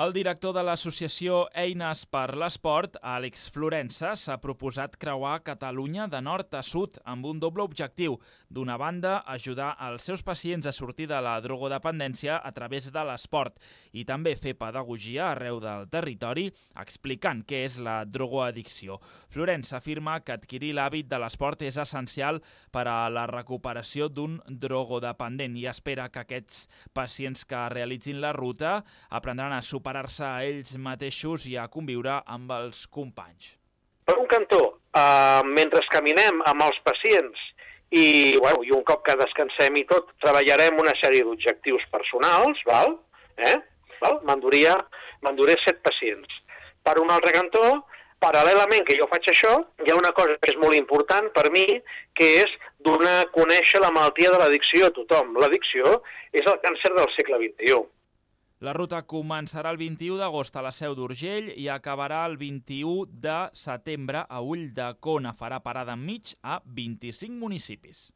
El director de l'associació Eines per l'Esport, Àlex Florensa, s'ha proposat creuar Catalunya de nord a sud amb un doble objectiu. D'una banda, ajudar els seus pacients a sortir de la drogodependència a través de l'esport i també fer pedagogia arreu del territori explicant què és la drogoaddicció. Florensa afirma que adquirir l'hàbit de l'esport és essencial per a la recuperació d'un drogodependent i espera que aquests pacients que realitzin la ruta aprendran a superar-se a ells mateixos i a conviure amb els companys. Per un cantó, mentre caminem amb els pacients i un cop que descansem i tot, treballarem una sèrie d'objectius personals, m'enduré 7 pacients. Per un altre cantó, paral·lelament que jo faig això, hi ha una cosa que és molt important per mi, que és donar a conèixer la malaltia de l'addicció a tothom. L'addicció és el càncer del segle XXI. La ruta començarà el 21 d'agost a la Seu d'Urgell i acabarà el 21 de setembre a Ulldecona. Farà parada enmig a 25 municipis.